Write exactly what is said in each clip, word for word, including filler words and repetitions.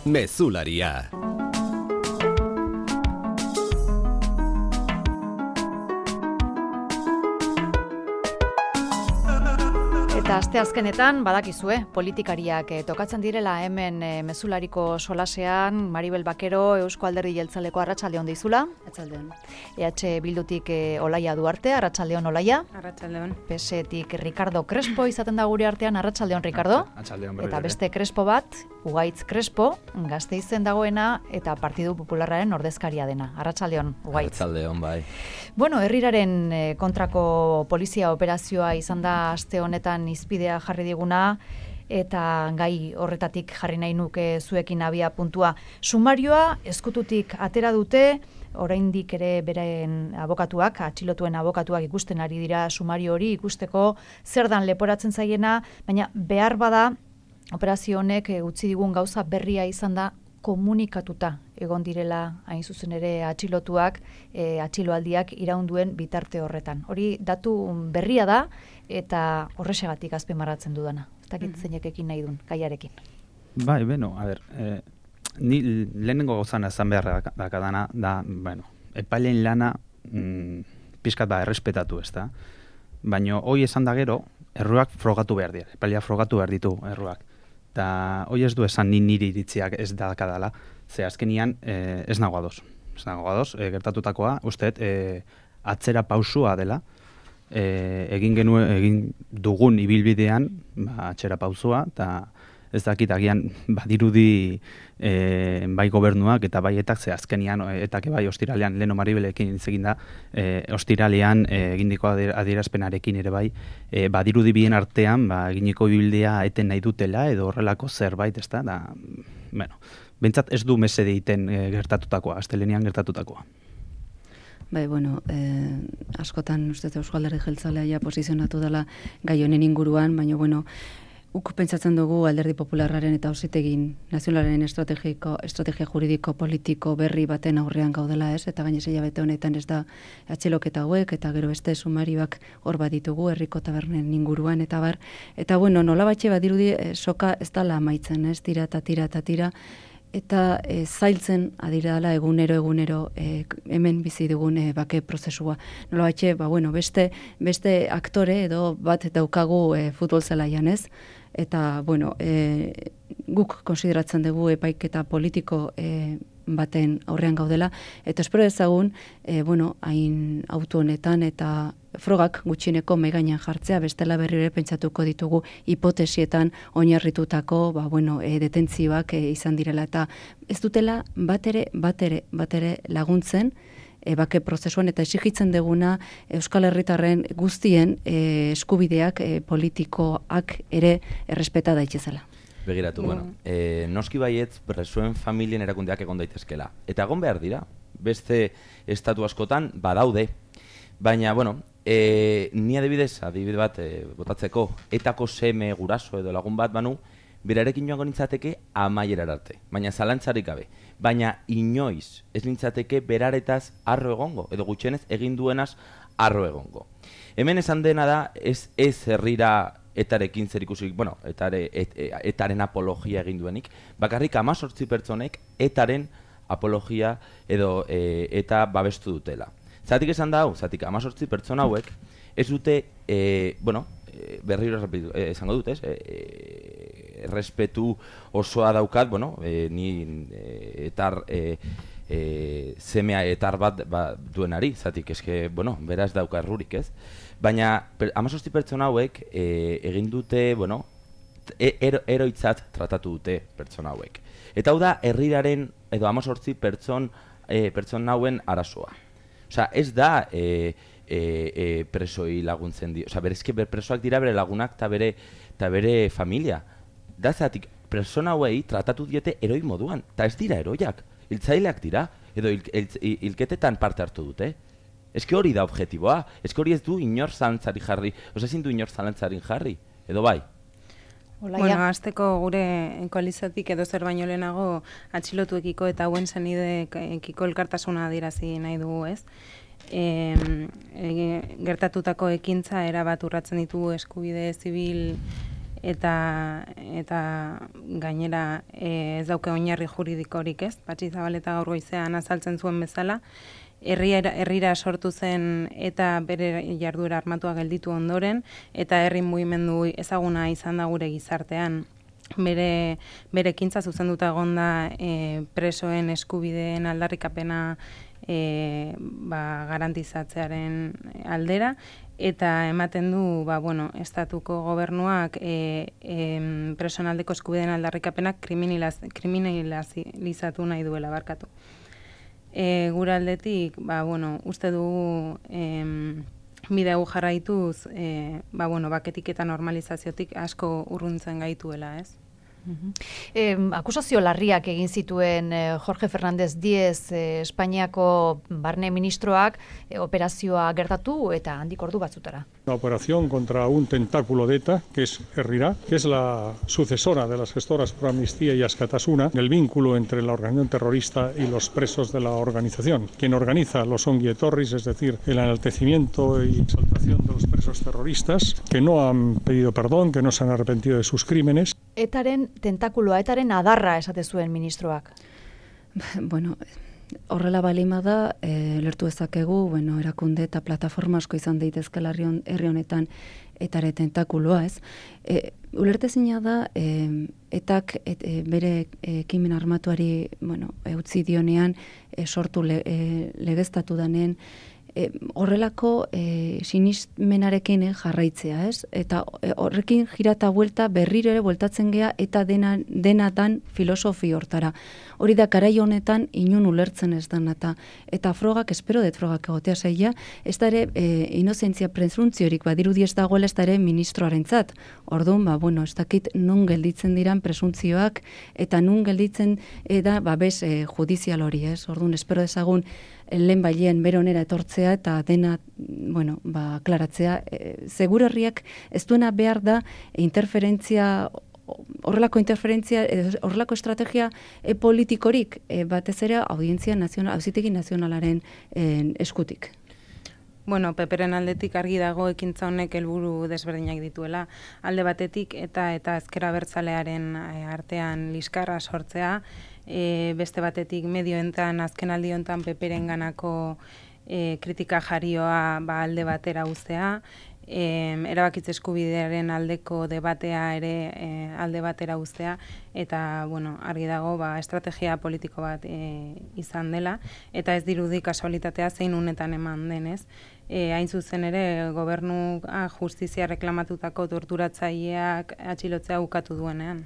Mezularia. Eta asteazkenetan badakizue, politikariak eh, tokatzen direla hemen eh, mezulariko solasean. Maribel Bakero, Eusko Alderdi Jeltzaleko, arratsaldeon deizula. Arratsaldeon. E H Bildutik eh, Olaia Duarte, arratsaldeon Olaia. Arratsaldeon. P S Etik Ricardo Crespo izaten da gure artean, arratsaldeon Ricardo. Arratsaldeon. Eta beste Crespo bat, Ugaitz Crespo, Gasteizen dagoena eta Partidu Popularraren ordezkaria dena. Arratsaldeon Ugaitz. Arratsaldeon bai. Bueno, herriraren eh, kontrako polizia operazioa izan da aste honetan izpidea jarri diguna, eta gai horretatik jarri nahi nuke zuekin abia puntua. Sumarioa eskututik atera dute, oraindik ere beren abokatuak, atxilotuen abokatuak ikusten ari dira sumario hori, ikusteko zer dan leporatzen zaiena, baina behar bada operazio honek utzi digun gauza berria izan da komunikatuta egon direla hain zuzen ere atxilotuak, e, atxiloaldiak iraunduen bitarte horretan. Hori datu berria da eta horrexegatik azpimarratzen dudana. Ez dakit zeinekekin nahi duen, gaiarekin. Bai, beno, a ber, eh, ni lehenengo gauzan ezan beharra dakadana da, bueno, epaileen lana mm, pixkat ba errespetatu, ez da? Baina hoi esan da gero, erruak frogatu behar dira, epailea frogatu behar ditu erruak. Eta hoi ez du esan ni niri iritziak ez dakadala, ze azkenian eh, ez nago ados. Ez nago ados, eh, gertatutakoa, usteet, eh, atzera pausua dela, e, egin genuen egin dugun ibilbidean, ba, atzera pausua, eta ez dakit agian badirudi e, bai gobernuak eta bai etak, ze azkenian etak bai ostiralean, Leno Maribelekin hitz egin da, e, ostiralean e, egindiko adierazpenarekin ere bai, e, badirudi bien artean, ba, eginiko ibilbidea eten nahi dutela, edo horrelako zerbait, ez da, da, bueno, bentsat ez du mesede egiten e, gertatutakoa, astelenean gertatutakoa. Bai, bueno, eh, askotan uste Eusko Alderdi Jeltzalea ja posizionatu dela gai honen inguruan, baina, bueno, uk pentsatzen dugu Alderdi Popularraren eta Auzitegin nazionalaren estrategiko, estrategia juridiko politiko berri baten aurrean gaudela, ez? Eta gainez hilabete honetan ez da atxiloketa hauek, eta gero beste sumarioak hor bat ditugu, herriko tabernen inguruan, eta bar. Eta, bueno, nola batxe badirudi, eh, soka ez dala amaitzen, ez? Tira eta tira eta tira. Eta e, zailtzen adira egunero egunero e, hemen bizi dugun e, bake prozesua. Nola batxe, ba, bueno, beste, beste aktore edo bat daukagu e, futbol zelaian, ez? Eta, bueno, e, guk konsideratzen dugu epaiketa politiko e, baten aurrean gaudela, eta espero ezagun, e, bueno, hain auto honetan eta frogak gutxineko mahai gainean jartzea, bestela berri ere pentsatuko ditugu hipotesietan oinarritutako, ba, bueno, e, detentzioak e, izan direla, eta ez dutela batere, batere, batere laguntzen e, bake prozesuan, eta exigitzen deguna Euskal Herritarren guztien e, eskubideak e, politikoak ere errespeta daitezela. Begiratu, mm. bueno, e, noski baietz presoen familien erakundeak egon daitezkela. Eta egon behar dira, beste estatu askotan badaude. Baina, bueno, e, ni adibidez, adibide bat e, botatzeko, etako seme guraso edo lagun bat banu, berarekin joango nintzateke amaierar arte. Baina zalantzarik gabe. Baina inoiz ez nintzateke beraretaz arro egongo, edo gutxienez egin duenaz arro egongo. Hemen esan dena da, ez, ez herrira etarekin zer ikusik, bueno, etare, et, et, etaren apologia egin duenik, bakarrik hamazortzi pertsonek etaren apologia edo e, eta babestu dutela. Zatik esan da hau, zatik hamazortzi pertsona hauek, ez dute, e, bueno, e, berriro e, esango dut, ez? E, e, respetu osoa daukat, bueno, e, ni e, etar e, e, semea etar bat ba, duenari, zatik eske, bueno, beraz dauka errurik, ez? Baina hamazortzi pertsona hauek e, egin dute, bueno, ero, eroitzat tratatu dute pertsona hauek. Eta hau da herriraren edo hamazortzi pertson e, pertsona hauen arazoa. Osea, ez da e, e, e, presoi laguntzen di, osea, berezke ber presoak dira bere lagunak eta bere eta bere familia. Da zatik pertsona hauei tratatu diete eroi moduan, eta ez dira eroiak, hiltzaileak dira edo hil, hil, hil, hilketetan parte hartu dute. Eske hori da objektiboa, eske hori ez du inor zalantzari jarri, oza ezin du inor zalantzarin jarri, edo bai? Olaia. Bueno, azteko gure koalizatik edo zer baino lehenago atxilotuekiko eta hauen zenidekiko elkartasuna adirazi nahi dugu, ez? E, e, gertatutako ekintza erabat urratzen ditu eskubide zibil eta eta gainera e, ez dauke oinarri juridikorik, ez? Patxi Zabaleta gaur goizean azaltzen zuen bezala, herrira, herrira sortu zen eta bere jarduera armatua gelditu ondoren, eta herri mugimendu ezaguna izan da gure gizartean. Bere, bere ekintza zuzenduta egonda e, presoen eskubideen aldarrikapena e, ba, garantizatzearen aldera, eta ematen du, ba, bueno, estatuko gobernuak e, e, presoen aldeko eskubideen aldarrikapenak kriminalizatu nahi duela barkatu. E, gure aldetik, ba, bueno, uste dugu em, bide hau jarraituz, e, ba, bueno, baketik eta normalizaziotik asko urruntzen gaituela, ez? Eh, akusazio larriak egin zituen eh, Jorge Fernández Díez eh, Espainiako barne ministroak eh, operazioa gertatu eta handik ordu batzutara. Una operación contra un tentáculo de ETA, que es Herrira, que es la sucesora de las gestoras Pro Amnistía y Askatasuna, el vínculo entre la organización terrorista y los presos de la organización. Quien organiza los ongi etorris, es decir, el enaltecimiento y exaltación de los presos terroristas, que no han pedido perdón, que no se han arrepentido de sus crímenes. Etaren tentakuloa, etaren adarra esate zuen ministroak. Bueno, horrela balima da, e, lertu ezakegu, bueno, erakunde eta plataforma asko izan daitezkela herri honetan etare tentakuloa, ez? E, ulertezina da, e, etak et, e, bere ekimen armatuari, bueno, utzi dionean, e, sortu le, e, legeztatu danen, E, horrelako e, sinismenarekin e, jarraitzea, ez? Eta e, horrekin jirata buelta berriro ere bueltatzen gea eta dena, dena dan filosofi hortara. Hori da garai honetan inun ulertzen ez dan eta eta frogak, espero dut frogak egotea zaila, ez da ere e, inozentzia presuntziorik badirudi ez dagoela ez da ere ministroarentzat. Orduan, ba, bueno, ez dakit nun gelditzen diran presuntzioak eta nun gelditzen e, da babes e, judizial hori, ez? Orduan, espero dezagun lehen bailean beronera etortzea eta dena, bueno, ba, klaratzea. E, Segur herriak ez duena behar da interferentzia, horrelako interferentzia, horrelako estrategia e, politikorik, e, batez ere audientzia nazional, auzitegi nazionalaren e, eskutik. Bueno, Peperen aldetik argi dago ekintza honek helburu desberdinak dituela. Alde batetik eta eta ezker abertzalearen artean liskarra sortzea, e, beste batetik medioentan azken aldi hontan Peperen ganako e, kritika jarioa ba, alde batera uztea, e, erabakitze eskubidearen aldeko debatea ere e, alde batera uztea, eta bueno, argi dago ba, estrategia politiko bat e, izan dela, eta ez dirudi kasualitatea zein unetan eman denez. E, hain zuzen ere, gobernu ah, justizia reklamatutako torturatzaileak atxilotzea ukatu duenean.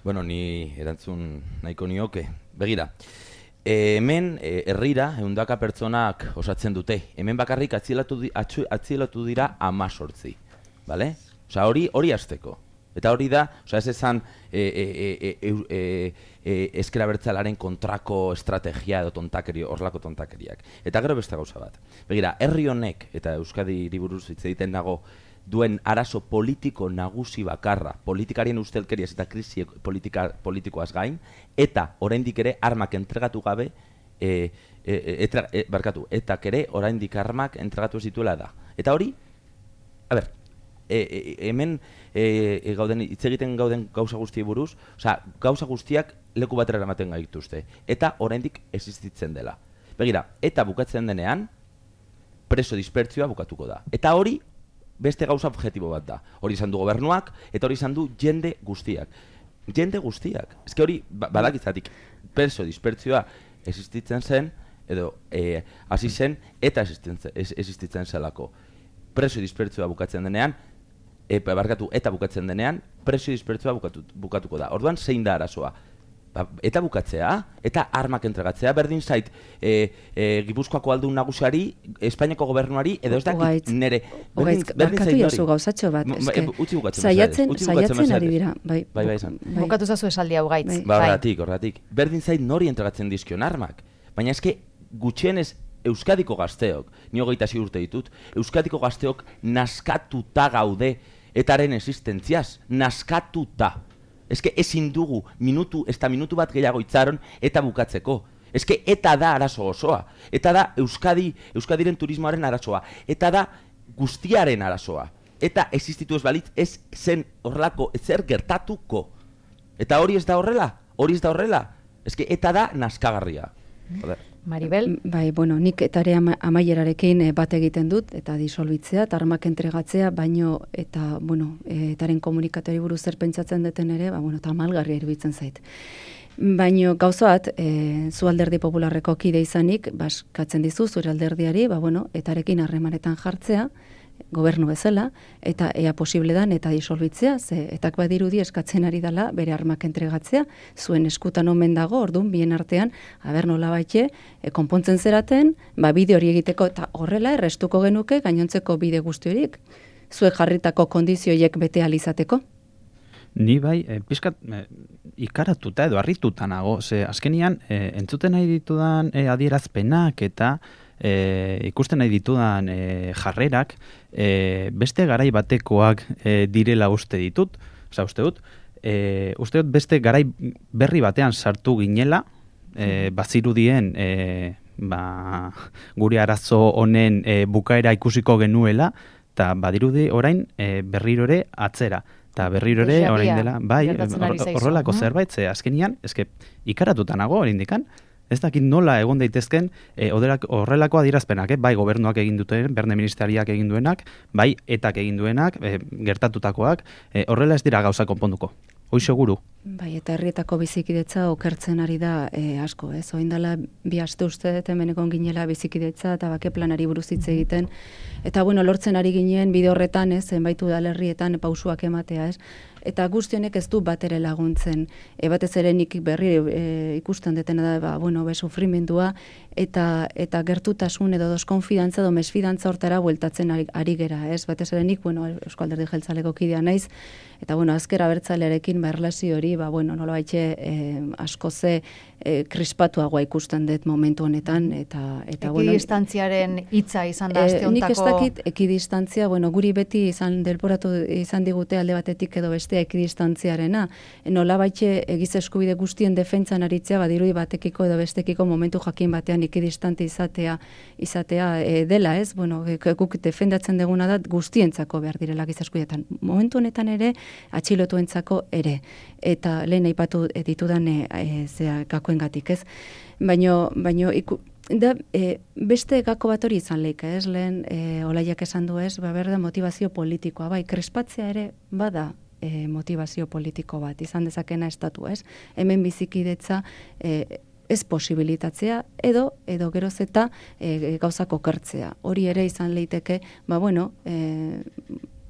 Bueno, ni erantzun nahiko nioke. Begira, e, hemen e, herrira ehundaka pertsonak osatzen dute. Hemen bakarrik atzilotu, di, atxu, atzilotu dira amazortzi. Vale? Osa, hori hori hasteko. Eta hori da, osa, ez esan e, e, e, e, e, e, ezker abertzalearen kontrako estrategia edo tontakeri, horlako tontakeriak. Eta gero beste gauza bat. Begira, herri honek, eta Euskadiri buruz hitz egiten dago, duen arazo politiko nagusi bakarra, politikarien ustelkeriaz eta krisi politika, politikoaz gain, eta oraindik ere armak entregatu gabe, e, e, etra, e, barkatu, eta ere oraindik armak entregatu zituela da. Eta hori, a ber, e, e, hemen e, e, gauden, hitz egiten gauden gauza guztiei buruz, osea, gauza guztiak leku batera eramaten gaituzte, eta oraindik existitzen dela. Begira, eta bukatzen denean, preso dispertzioa bukatuko da. Eta hori, beste gauza objektibo bat da. Hori izan du gobernuak, eta hori izan du jende guztiak. Jende guztiak. Ez que hori, badakitzatik, preso dispertzioa existitzen zen, edo e, hasi zen, eta existitzen zelako. Preso dispertzioa bukatzen denean, e, barkatu, eta bukatzen denean, preso dispertzioa bukatu, bukatuko da. Orduan, zein da arazoa? Ba, eta bukatzea, eta armak entregatzea, berdin zait, e, e, Gipuzkoako aldun nagusiari, Espainiako gobernuari, edo ez dakit nere, berdin, berdin zait nori. Gauzatxo bat, eske, utzi bukatzen, saiatzen, saiatzen ari dira. Bai, bai, bai, bai. Bukatu zazu esaldi hau gaitz. Bai. Ba, horratik, horratik. Berdin zait nori entregatzen dizkion armak. Baina eske, gutxienez, Euskadiko gazteok, ni hogeita sei urte ditut, Euskadiko gazteok naskatuta gaude, etaren existentziaz, naskatuta. Eske ezin dugu minutu, ez da minutu bat gehiago itzaron eta bukatzeko. Eske eta da arazo osoa. Eta da Euskadi, Euskadiren turismoaren arazoa. Eta da guztiaren arazoa. eta existitu ez balitz, ez zen horrelako ezer gertatuko. Eta hori ez da horrela, hori ez da horrela. Ez que eta da naskagarria. Joder. Maribel? Bai, bueno, nik etare ama, amaierarekin e, bat egiten dut, eta disolbitzea, eta armak entregatzea, baino, eta, bueno, e, etaren komunikatori buruz zer pentsatzen duten ere, ba, bueno, eta amalgarria iruditzen zait. Baino, gauzoat, e, zu alderdi popularreko kide izanik, baskatzen dizu, zure alderdiari, ba, bueno, etarekin harremanetan jartzea, gobernu bezala, eta ea posible dan eta disolbitzea, ze etak badirudi eskatzen ari dela bere armak entregatzea, zuen eskutan omen dago, orduan, bien artean, aber nola baitxe, e, konpontzen zeraten, ba, bide hori egiteko, eta horrela errestuko genuke, gainontzeko bide guztiorik, zuek jarritako kondizioiek bete alizateko. Ni bai, e, pizkat e, ikaratuta edo harrituta nago, ze azkenian e, entzuten nahi ditudan e, adierazpenak eta E, ikusten nahi ditudan e, jarrerak e, beste garai batekoak e, direla uste ditut, oza, uste dut, e, uste dut beste garai berri batean sartu ginela, e, bazirudien e, ba, gure arazo honen e, bukaera ikusiko genuela, eta badirudi orain e, berrirore atzera. Eta berrirore orain dela, bai, horrelako zerbait, ze azkenian, eske ikaratuta nago hori indikan, ez dakit nola egon daitezken e, horrelako adierazpenak, eh? Bai gobernuak egin duten, berne ministeriak egin duenak, bai etak egin duenak, e, gertatutakoak, e, horrela ez dira gauza konponduko. Hoi seguru. Bai, eta herrietako bizikidetza okertzen ari da e, asko, ez? Oindala bi aste uste dut hemen egon ginela bizikidetza eta bake planari buruz hitz egiten. Eta bueno, lortzen ari ginen bide horretan, ez, zenbaitu udalerrietan pausuak ematea, ez? Eta guztionek ez du bat ere laguntzen. E, batez ere nik berri e, ikusten detena da, ba, bueno, be sufrimendua eta eta gertutasun edo deskonfidantza edo mesfidantza hortara bueltatzen ari, ari gera, ez? Batez ere nik, bueno, Eusko Alderdi Jeltzaleko kidea naiz, eta bueno, Ezker Abertzalearekin ba erlazio hori, ba bueno, nolabaitxe eh, asko ze eh, krispatuagoa ikusten dut momentu honetan eta eta bueno, ekidistantziaren hitza izan da aste hontako. Nik ez dakit ekidistantzia, bueno, guri beti izan delboratu izan digute alde batetik edo bestea ekidistantziarena. Nolabaitxe egiz eskubide guztien defentsan aritzea badirudi batekiko edo bestekiko momentu jakin batean ekidistante izatea izatea e, dela, ez? Bueno, guk defendatzen deguna da guztientzako behar direla giza eskubidetan. Momentu honetan ere atxilotuentzako ere. Eta lehen aipatu ditudan e, e, zea gakoengatik, ez? Baino, baino iku, da, e, beste gako bat hori izan leika, ez? Lehen e, Olaiak esan du, ez? Ba, berda motivazio politikoa, bai, krespatzea ere bada e, motivazio politiko bat, izan dezakena estatu, ez? Hemen bizikidetza e, ez posibilitatzea edo edo geroz eta e, gauzak okertzea. Hori ere izan leiteke, ba bueno, e,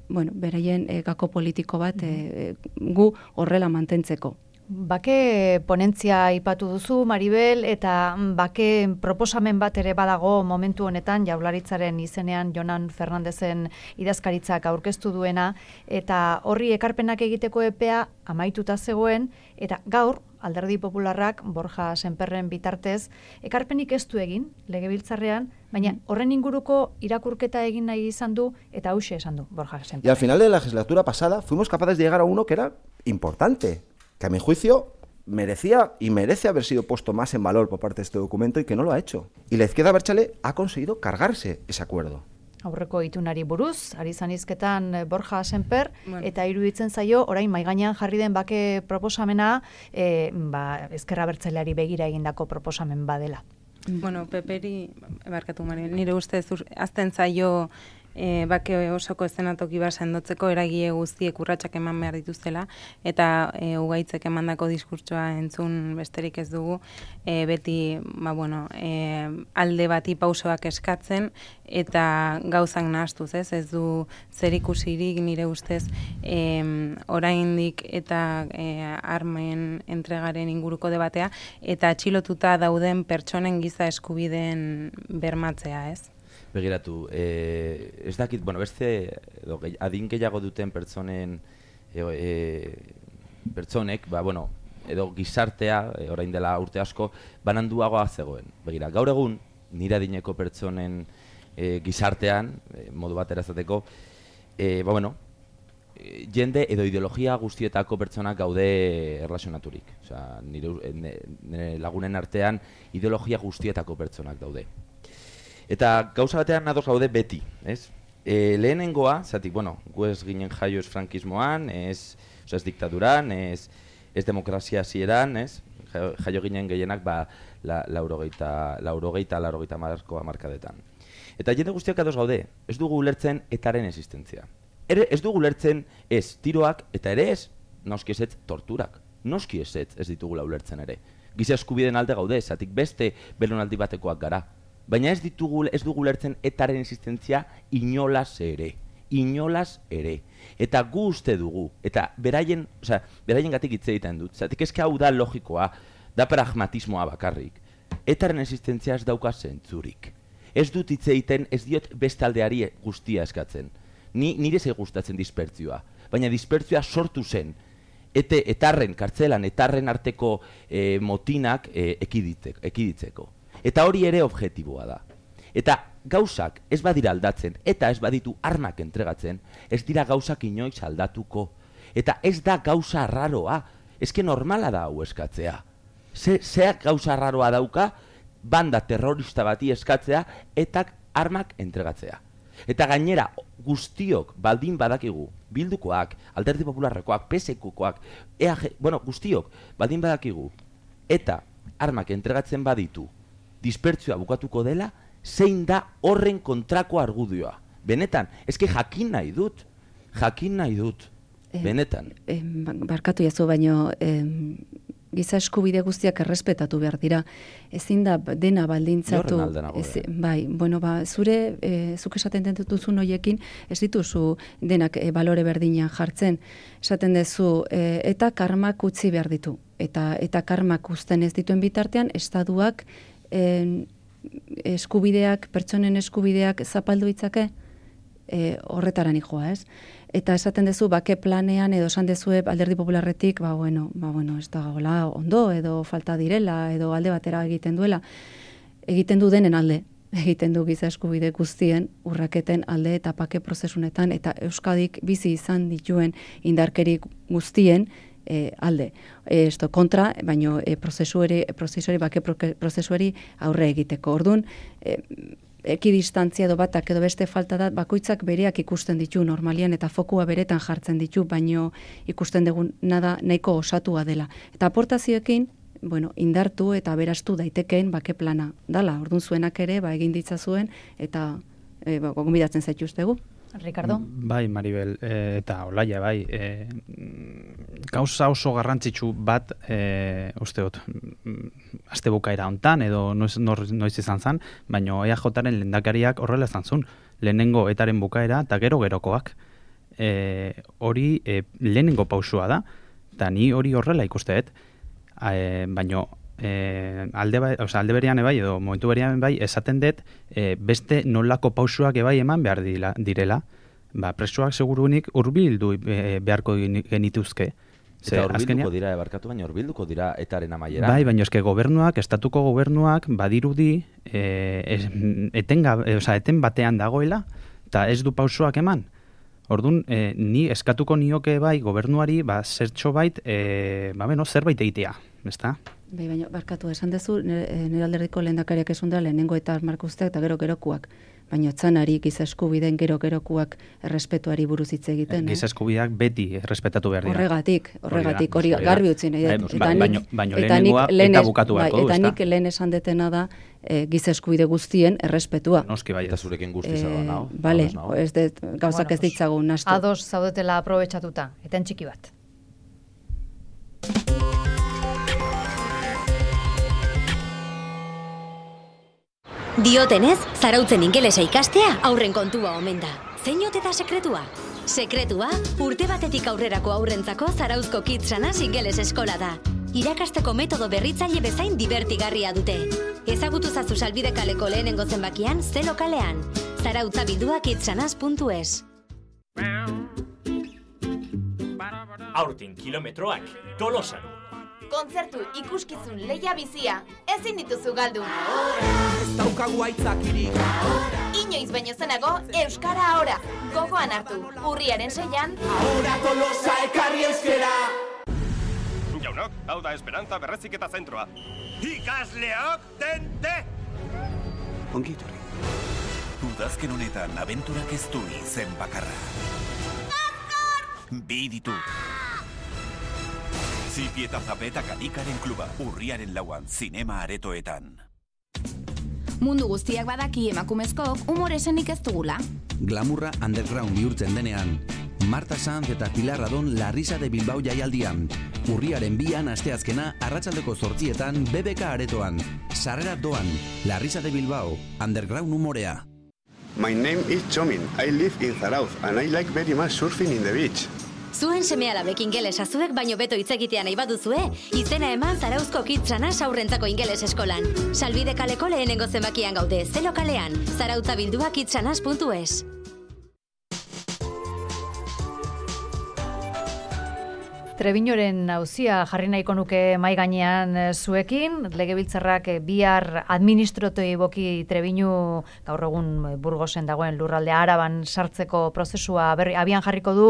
bueno, beraien e, gako politiko bat e, gu horrela mantentzeko. Bake ponentzia aipatu duzu, Maribel, eta bake proposamen bat ere badago momentu honetan, Jaurlaritzaren izenean Jonan Fernandezen idazkaritzak aurkeztu duena, eta horri ekarpenak egiteko epea amaituta zegoen, eta gaur, Alderdi Popularrak Borja Sémperren bitartez, ekarpenik ez du egin, legebiltzarrean, baina horren inguruko irakurketa egin nahi izan du, eta hauxe esan du Borja Sémper. Y al final de la legislatura pasada fuimos capaces de llegar a uno que era importante, que a mi juicio merecía y merece haber sido puesto más en valor por parte de este documento y que no lo ha hecho. Y la izquierda abertzale ha conseguido cargarse ese acuerdo. Aurreko itunari buruz, ari zanizketan Borja Sémper, bueno. Eta iruditzen zaio, orain maigainean jarri den bake proposamena, e, ba, Ezker Abertzaleari begira egindako proposamen badela. Bueno, Peperi, barkatu Maribel, nire ustez azten zaio e, bake osoko eszenatoki bat sendotzeko eragile guztiek urratsak eman behar dituztela, eta e, ugaitzek emandako diskurtsoa entzun besterik ez dugu, e, beti ba, bueno, e, alde bati pausoak eskatzen, eta gauzak nahastuz, ez? Ez du zerikusirik nire ustez e, oraindik eta e, armen entregaren inguruko debatea, eta atxilotuta dauden pertsonen giza eskubideen bermatzea, ez? Begiratu, eh, ez dakit, bueno, beste edo, adin gehiago duten pertsonen e, e, pertsonek, ba, bueno, edo gizartea, e, orain dela urte asko, bananduagoa zegoen. Begira, gaur egun, nire adineko pertsonen e, gizartean, e, modu batera ezateko, e, ba, bueno, e, jende edo ideologia guztietako pertsonak gaude erlazionaturik. Osea, nire, nire lagunen artean ideologia guztietako pertsonak daude. Eta gauza batean ados gaude beti, ez? E, lehenengoa, zatik, bueno, gu ez ginen jaio ez frankismoan, ez, oza, ez diktaduran, ez, ez demokrazia hasieran, ez, jaio, jaio ginen gehienak ba, la, laurogeita, laurogeita, laurogeita markoa markadetan. Eta jende guztiak ados gaude, ez dugu ulertzen etaren existentzia. Ere, ez dugu ulertzen ez tiroak, eta ere ez, noski ez ez torturak. Noski ez ez, ez ditugula ulertzen ere. Giza eskubideen alde gaude, zatik beste belonaldi batekoak gara. Baina ez ditugu, ez dugu ulertzen etaren existentzia inolaz ere. Inolaz ere. Eta gu uste dugu, eta beraien, osea, beraien gatik hitz egiten dut, zatik eske hau da logikoa, da pragmatismoa bakarrik. Etaren existentzia ez dauka zentzurik. Ez dut hitz egiten, ez diot beste aldeari guztia eskatzen. Ni, nire zei gustatzen dispertzioa, baina dispertzioa sortu zen, ete, etarren, kartzelan, etarren arteko e, motinak e, ekiditzeko. Eta hori ere objektiboa da. Eta gauzak ez badira aldatzen, eta ez baditu armak entregatzen, ez dira gauzak inoiz aldatuko. Eta ez da gauza arraroa, ezke normala da hau eskatzea. Ze, zeak gauza arraroa dauka, banda terrorista bati eskatzea, eta armak entregatzea. Eta gainera, guztiok baldin badakigu, Bildukoak, Alderdi Popularrekoak, P S Kokoak, E A G, bueno, guztiok baldin badakigu, eta armak entregatzen baditu, dispertzioa bukatuko dela, zein da horren kontrako argudioa. Benetan, eske jakin nahi dut, jakin nahi dut, benetan. Eh, eh, barkatu jazu, baino eh, giza eskubide guztiak errespetatu behar dira. Ezin da dena baldintzatu. Horren alde nago. Ez, bai, bueno, ba, zure, eh, zuk esaten dutuzun hoiekin, ez dituzu denak eh, balore berdinean jartzen. Esaten duzu, eh, eta karmak utzi behar ditu. Eta, eta karmak uzten ez dituen bitartean, estatuak eh, eskubideak, pertsonen eskubideak zapaldu itzake, e, horretaran joa, ez? Eta esaten duzu, bake planean, edo esan dezue Alderdi Popularretik, ba, bueno, ba, bueno, ez da gola ondo, edo falta direla, edo alde batera egiten duela. Egiten du denen alde, egiten du giza eskubide guztien, urraketen alde eta bake prozesunetan, eta Euskadik bizi izan dituen indarkerik guztien, E, alde. E, esto kontra, baino e, prozesuari, prozesuari, bake prozesuari aurre egiteko. Orduan, e, ekidistantzia edo batak edo beste falta da, bakoitzak bereak ikusten ditu normalian eta fokua beretan jartzen ditu, baino ikusten dugun nada nahiko osatua dela. Eta aportazioekin, bueno, indartu eta berastu daitekeen bake plana dala. Orduan zuenak ere, ba, egin ditzazuen eta e, ba, gonbidatzen zaituztegu. Ricardo? Bai, Maribel, e, eta Olaia, bai. E, gauza oso garrantzitsu bat, e, usteot, aste bukaera hontan, edo noiz, noiz izan zan, baina E A Jaren lehendakariak horrela izan zuen. Lehenengo etaren bukaera eta gero gerokoak. E, hori e, lehenengo pausua da, eta ni hori horrela ikusteet, e, baina E, alde, ba, o sea, alde berean ebai, edo momentu berean ebai, esaten dut e, beste nolako pausuak ebai eman behar dila, direla, ba, presoak segurunik hurbildu e, beharko genituzke. Eta hurbilduko dira, ebarkatu baina hurbilduko dira etaren amaiera. Bai, baina eske gobernuak, estatuko gobernuak badirudi e, es, etenga, e, o sea, eten batean dagoela, eta ez du pausuak eman. Orduan, e, ni eskatuko nioke bai gobernuari, ba, zertxo bait, e, ba, beno, zerbait egitea, ezta? Bai, baina, barkatu, esan dezu, nire alderdiko lehendakariak esun da, lehenengo eta markuzteak eta gero-gerokuak. Baina otzanari, giza eskubideen gero-gerokuak errespetuari buruz hitz egiten. Giza eskubideak beti errespetatu behar dira. Horregatik, horregatik, hori garbi utzi nahi. Baina lehenengoa eta bukatu beharko du, eta nik lehen esan detena da, e, giza eskubide guztien errespetua. Noski bai. Eta zurekin guztiz e, nao. Bale, ez det, gauzak ez ditzagun nastu. Ados zaudetela aprobetxatuta, eten txiki bat. Diotenez, zarautzen ingelesa ikastea aurren kontua omen da. Zein ote da sekretua? Sekretua, urte batetik aurrerako aurrentzako Zarauzko Kitsanas ingeles eskola da. Irakasteko metodo berritzaile bezain divertigarria dute. Ezagutu zazu Salbide kaleko lehenengo zenbakian, ze lokalean. Zarautza bildua kitsanas puntu es. Aurten kilometroak, Tolosan. Kontzertu ikuskizun leia bizia, ezin dituzu galdu. Ez daukagu aitzakirik. Inoiz baino zenago, Euskara ahora. Gogoan hartu, urriaren seian. Ahora Tolosa ekarri euskera. Jaunok, hau da Esperantza Berreziketa Zentroa. Ikasleok, tente! Ongi etorri. Udazken honetan abenturak ez du izen bakarra. Bi ditu. Zipi eta Zape eta Kalikaren kluba, urriaren lauan, zinema aretoetan. Mundu guztiak badaki emakumezkook umore esenik ez dugula. Glamurra underground bihurtzen denean. Marta Sanz eta Pilar Adon La Risa de Bilbao jaialdian. Urriaren bian asteazkena arratsaldeko zortzietan B B K aretoan. Sarrera doan, La Risa de Bilbao, underground umorea. My name is Chomin. I live in Zarauz and I like very much surfing in the beach. Zuen seme-alabek ingelesa zuek baino beto hitz egitea nahi baduzue, izena eman Zarauzko Kitsanas aurrentzako ingeles eskolan. Salbide kaleko lehenengo zenbakian gaude, zelo kalean, zarautza bildua kitsanas puntu es. Trebiñoren auzia jarri nahiko nuke mai gainean zuekin, legebiltzarrak bihar administratiboki Trebiñu gaur egun Burgosen dagoen lurraldea Araban sartzeko prozesua berri abian jarriko du.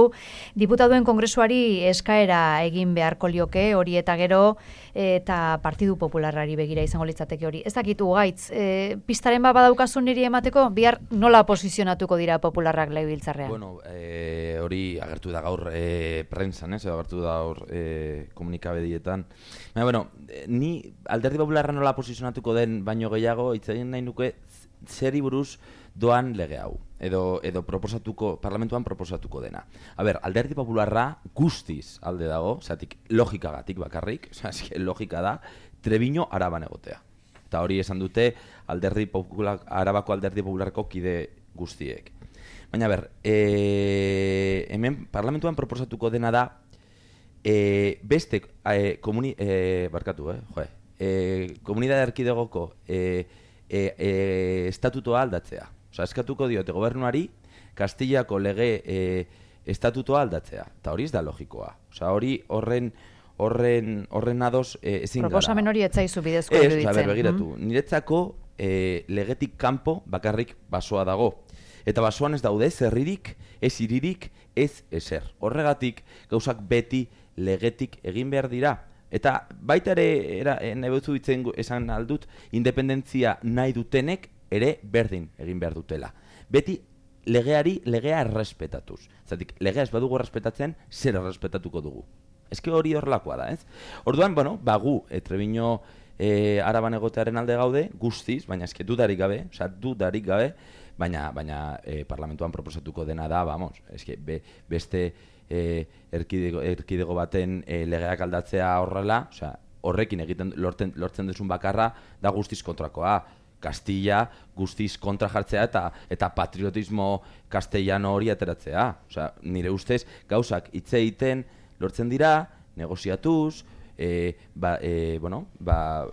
Diputatuen Kongresuari eskaera egin beharko lioke hori eta gero eta Partidu Popularrari begira izango litzateke hori. Ez dakitu gaitz, e, pistaren bat badaukazu niri emateko, bihar nola posizionatuko dira popularrak legebiltzarrean? Bueno, e, hori agertu da gaur e, prensan, ez? Agertu da gaur e, komunikabedietan. Baina, bueno, ni Alderdi Popularra nola posizionatuko den baino gehiago, hitz egin nahi nuke zeri buruz doan lege hau. Edo, edo proposatuko, parlamentuan proposatuko dena. A ber, Alderdi Popularra guztiz alde dago, zatik logikagatik bakarrik, oza, logika da, Trebiño Araban egotea. Eta hori esan dute Alderdi Popular, Arabako Alderdi Popularreko kide guztiek. Baina, ber, e, hemen parlamentuan proposatuko dena da, e, beste e, komuni, e, barkatu, eh, joe, e, komunidade erkidegoko e, e, e, estatutoa aldatzea. Osa, eskatuko diote gobernuari Kastillako lege e, estatutoa aldatzea. Eta hori ez da logikoa. Osa, hori horren horren horren ados e, ezin gara. Proposamen hori etzaizu bidezko iruditzen. Ez, osa, ber, begiratu. Mm. Niretzako e, legetik kanpo bakarrik basoa dago. Eta basoan ez daude ez herririk, ez hiririk, ez ezer. Horregatik gauzak beti legetik egin behar dira. Eta baita ere, era, nahi behuzu ditzen esan aldut, independentzia nahi dutenek ere berdin egin behar dutela. Beti legeari legea errespetatuz. Zatik, legea ez badugu errespetatzen, zer errespetatuko dugu. Ezke hori horrelakoa da, ez? Orduan, bueno, bagu, e, Trebiño e, Araban egotearen alde gaude, guztiz, baina eske dudarik gabe, oza, dudarik gabe, baina, baina e, parlamentuan proposatuko dena da, vamos, eske be, beste e, erkidego, erkidego baten e, legeak aldatzea horrela, oza, horrekin egiten lorten, lortzen duzun bakarra da guztiz kontrakoa. Kastilla guztiz kontra jartzea eta eta patriotismo castellano hori ateratzea. Osea, nire ustez gauzak hitz egiten lortzen dira, negoziatuz, e, ba, e, bueno, ba,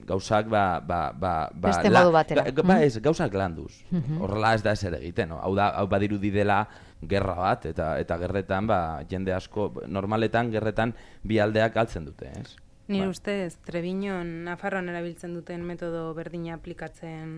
gauzak ba, ba, ba, ba, beste modu batera. Ba, ba, ez, gauzak landuz. Mm-hmm. Horrela ez da ezer egiten. No? Hau da, hau badirudi dela gerra bat, eta eta gerretan, ba, jende asko, normaletan, gerretan bi aldeak galtzen dute, ez? Nire ustez, Trebiñon, Nafarroan erabiltzen duten metodo berdina aplikatzen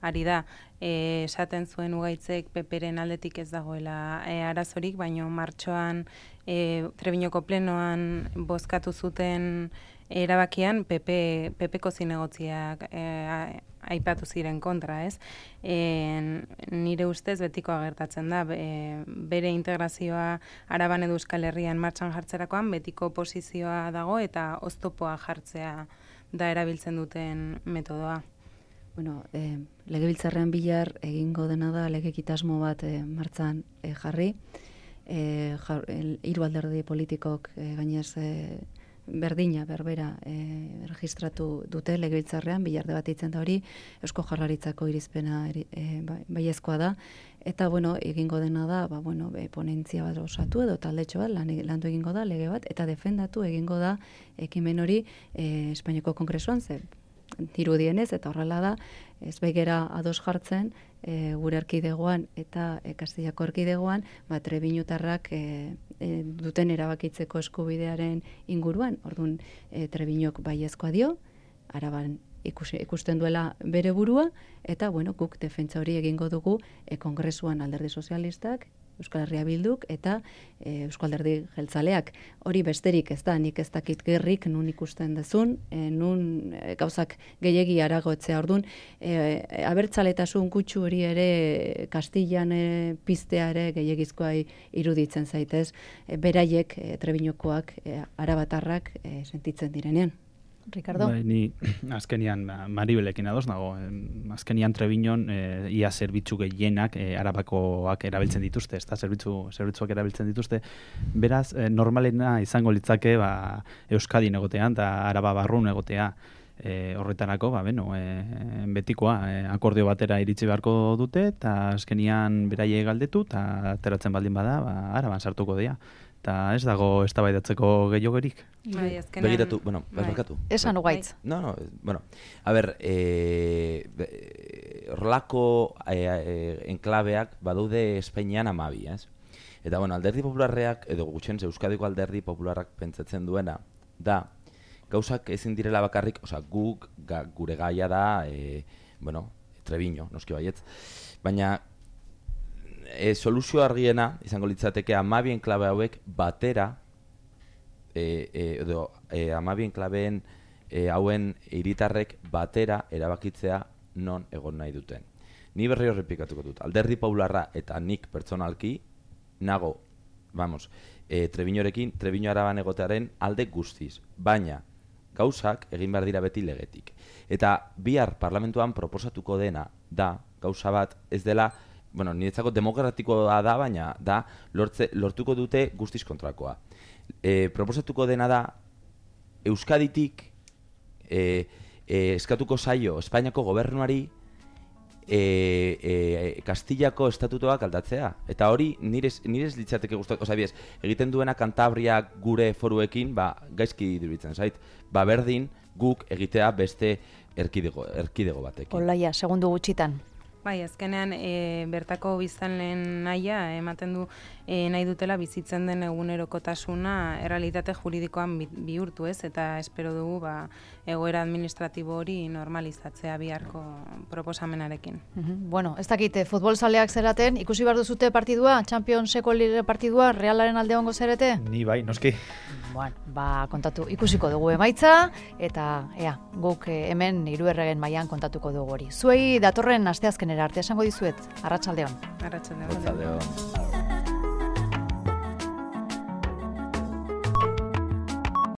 ari da. E, esaten zuen Ugaitzek Peperen aldetik ez dagoela e, arazorik, baino martxoan e, Trebiñoko plenoan bozkatu zuten erabakian Pepe, Pepeko zinegotziak e, aipatu ziren kontra, ez? E, nire ustez betiko agertatzen da, e, bere integrazioa Araban edo Euskal Herrian martxan jartzerakoan betiko posizioa dago eta oztopoa jartzea da erabiltzen duten metodoa. Bueno, e, legebiltzarrean bihar egingo dena da legekitasmo bat e, martzan e, jarri, e, jar, el, hiru alderdi politikok e, gainez e, berdina, berbera, e, registratu dute legebiltzarrean, bihar debatitzen da hori, Eusko Jaurlaritzako irizpena e, baiezkoa da, eta, bueno, egingo dena da, ba, bueno, e, ponentzia bat osatu edo taldetxo bat, lan, landu egingo da, lege bat, eta defendatu egingo da ekimen hori e, Espainiako Kongresuan, ze dirudienez, eta horrela da, ez begera ados jartzen, e, gure erkidegoan eta e, Kastillako erkidegoan, ba, Trebiñotarrak e, e, duten erabakitzeko eskubidearen inguruan. Orduan, e, Trebiñok baiezkoa dio, Araban ikus, ikusten duela bere burua, eta, bueno, guk defentsa hori egingo dugu e, Kongresuan Alderdi Sozialistak, Euskal Herria Bilduk eta e, Eusko Alderdi Jeltzaleak. Hori besterik ez da, nik ez dakit gerrik nun ikusten dezun, e, nun e, gauzak gehiegi aragoetzea ordun, e, abertzaletasun kutsu hori ere Kastillan e, piztea ere gehiegizkoa iruditzen zaitez, e, beraiek e, Trebinokoak, e, arabatarrak e, sentitzen direnean. Ricardo? Bai, ni azkenian Maribelekin ados nago. Azkenian Trebiñon e, ia zerbitzu gehienak e, arabakoak erabiltzen dituzte, ezta zerbitzu zerbitzuak erabiltzen dituzte. Beraz, e, normalena izango litzake ba, Euskadin egotean eta Araba barrun egotea. E, horretarako, ba, beno, e, betikoa, e, akordio batera iritsi beharko dute, eta azkenian beraie galdetu, eta ateratzen baldin bada, ba, Araban sartuko dira. Eta ez dago eztabaidatzeko gehiagorik. Bai, azkenean... Begiratu, bueno, bai. Barkatu. Esan ugaitz. No, no, bueno, a ber, horlako e, e, enklabeak badaude Espainian amabi, ez? Eta, bueno, Alderdi Popularreak, edo gutxen Euskadiko Alderdi Popularrak pentsatzen duena, da, gauzak ezin direla bakarrik, osea, guk, ga, gure gaia da, e, bueno, Trebiño, noski baietz, baina, E, soluzio argiena izango litzateke hamabi enklabe hauek batera e, e, edo e, hamabi enklabeen e, hauen hiritarrek batera erabakitzea non egon nahi duten. Ni berri horrepikatuko dut. Alderdi Popularra eta nik pertsonalki nago, vamos, e, Trebiñorekin, Trebiño Araban egotearen alde guztiz, baina gauzak egin behar dira beti legetik. Eta bihar parlamentuan proposatuko dena da gauza bat ez dela, bueno, niretzako demokratikoa da, baina da lortze, lortuko dute guztiz kontrakoa. E, proposatuko dena da Euskaditik e, e, eskatuko zaio Espainiako gobernuari e, e, Kastillako estatutoak aldatzea. Eta hori nirez, nirez litzateke guztat, oza, biez, egiten duena Kantabriak gure foruekin, ba, gaizki diruditzen zait, ba, berdin guk egitea beste erkidego, erkidego batekin. Olaia, segundu gutxitan. Bai, azkenean e, bertako biztanleen nahia ematen du e, nahi dutela bizitzen den egunerokotasuna errealitate juridikoan bi, bihurtu ez, eta espero dugu ba, egoera administratibo hori normalizatzea biharko proposamenarekin. Mm-hmm. Bueno, ez dakite, futbol zaleak zeraten, ikusi behar duzute partidua, Championseko lire partidua, Realaren alde hongo zerete? Ni bai, noski. Bueno, ba, kontatu, ikusiko dugu emaitza, eta ea, guk hemen hiru erregen mailan kontatuko dugu hori. Zuei datorren asteazkenera arte esango dizuet, arratsaldeon. Arratsaldeon. Arratsaldeon.